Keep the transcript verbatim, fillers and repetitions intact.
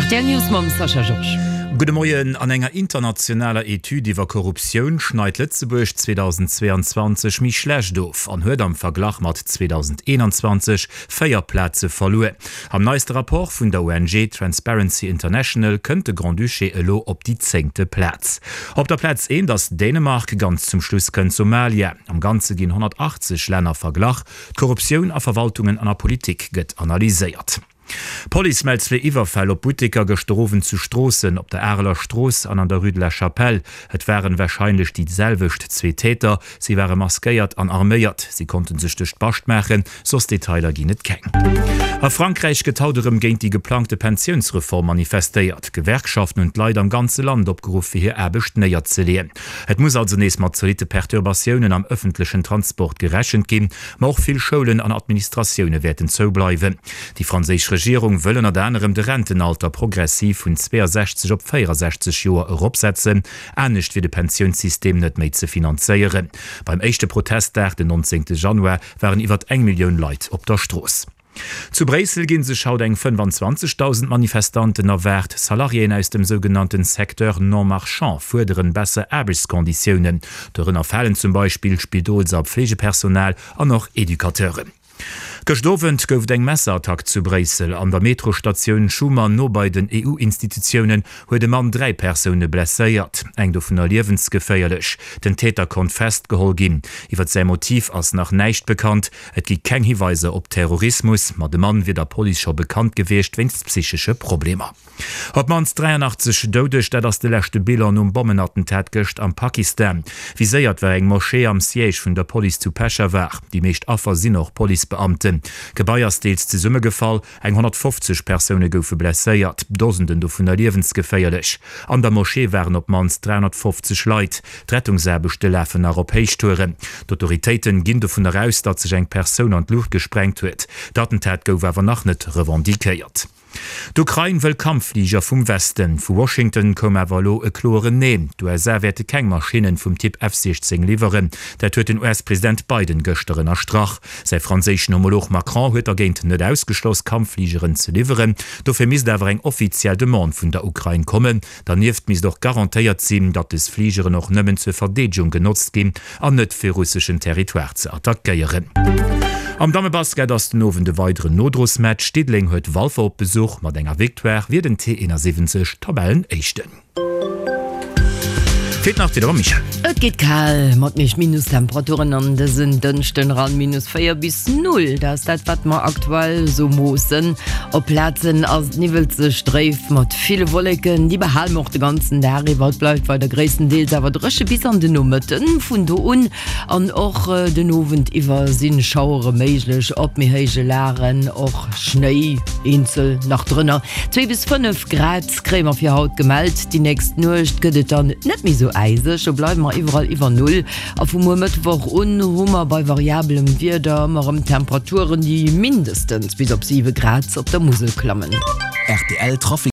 Rtl News mam Sascha Georges. Gudde Moien, An enger internationaler Etüd iwwer Korruptioun schneit Lëtzebuerg zweedausendzweeanzwanzeg méi schlecht of an huet am Verglach mat zweedausendeenanzwanzeg véier Plaze verluer. Am neiste Rapport vun der O N G Transparency International kënnt de Grand-Duché elo op déi zéngte Plaz. Op der Plaz eent ass Dänemark, ganz zum Schluss kënnt Somalia. Am Ganze ginn honnertachtzeg Länner verglach. D'Korruptioun a Verwaltungen an a Politik gëtt analyséiert. D'Police mellt zwee Iwwerfäll op Butteker gëschter Owend zu Stroossen, op der Areler Strooss an an der Rue de la Chapelle. Et waren warscheinlech déi selwecht zwee Täter. Si ware maskéiert an arméiert. Si konnte sech duerch d'Bascht maachen, soss Detailer ginn et keng. A Frankräich gëtt haut erëm géint déi geplangte Pensiounsreform manifestéiert. D'Gewerkschaften hunn d'Leit am ganze Land opgeruff fir hir Aarbecht néierzeleeën. Et muss also nees mat zolitte Perturbatiounen am ëffentlechen Transport gerechent ginn, ma och vill Schoulen an Administratioune wäerten zoubleiwen. Déi franséisch Regierung wëll ënnert anerem de Rentenalter progressiv vun zweeasechzeg op véierasechzeg Joer eropsetzen, anescht wier de Pensiounssystem net méi ze finanzéieren. Beim éischte Protestdag den nonzéngte Januar waren iwwert eng Millioun Leit op der Strooss. Zu Bréissel gi sech haut eng fënnefanzwanzegdausend Manifestanten erwaart. Salariéen aus dem sougenannten Secteur non marchand fuerderen besser Aarbechtskonditiounen. Dorënner falen zum Beispill Spidols a Pflegepersonal an och Educateuren. Gëscht Owend gouf et eng Messerattack zu Bréissel. An der Metrostatioun Schuman no bei den E U-Institutiounen huet e Mann dräi Persoune blesséiert, eng dovunner liewensgeféierlech. Den Täter konnt festgeholl ginn. Iwwer säi Motiv ass nach näischt bekannt. Et gi keng Hiweiser op Terrorismus, ma de Mann wier der Police scho bekannt gewiescht wéinst psychesche Problemer. Op d'mannst dräianachtzeg Doudeg, dat ass de leschte Bilan nom Bommenattentat gëscht am Pakistan. Viséiert war eng Moschee am Siège vun der Police zu Peschawar. Déi meescht Affer sinn och Policebeamten. D'Gebai ass deels zesummegefall, eng honnertfofzeg Persoune goufe blesséiert, Dosenden dovunner liewensgeféierlech. An der Moschee waren op d'mannst dräihonnertfofzeg Leit. D'Rettungsaarbechte lafen nach op Héichtouren. D'Autoritéite ginn dovunner aus, datt sech eng Persoun an d'Luucht gesprengt huet. D'Attentat gouf awer nach net revendiquéiert. D'Ukrain wëll Kampffliger vum Westen. Vu Washington koum awer elo e kloeren Neen. D'U S A wäerte keng Maschinnen vum Typ F siechzéng liwweren. Dat huet den U S-President Biden gëschter ënnerstrach. Säi franséischen Homolog Macron huet dergéint net ausgeschloss, Kampffligeren ze liwweren. Dofir misst awer eng offiziell Demande vun der Ukrain kommen. Dernieft misst och garantéiert sinn, datt des Fligeren och nëmmen zur Verdeedegung genotzt ginn an net fir russeschen Territoire ze attackéieren. Am Dammebasket ass den Owend e weideren Nodrosmatch. Diddeleng huet Walfer op Besuch. Mat enger Victoire wier den T eenasiwwenzeg Tabellenéischten. Feelt nach d'Wieder mam Michèle. Et geet kal mat meescht Minustemperaturen an dësen Dënschden eran, minus véier bis null, dat ass dat wat mer aktuell sou moossen. Op Plazen ass et niwwelzeg dréif mat ville Wolleken, déi behale mer och de ganzen Dag iwwer. Et bleift weider gréisstendeels awer dréche bis an den Nomëtten. Vun do un an och den Owend iwwer si Schauere méiglech, op méi héije Lagen och Schnéi eenzel nach drënner. Zwee bis fënnef Grad kréie mer fir haut gemellt. Déi nächst Nuecht gëtt et dann net méi sou äiseg, do bleiwe mer iwwerall iwwer Null. A vu muer Mëttwoch un hu mer bei variabelem Wieder ëmmer erëm Temperaturen, déi mindestens bis op siwe Grad op der Musel klammen. R T L Trafic.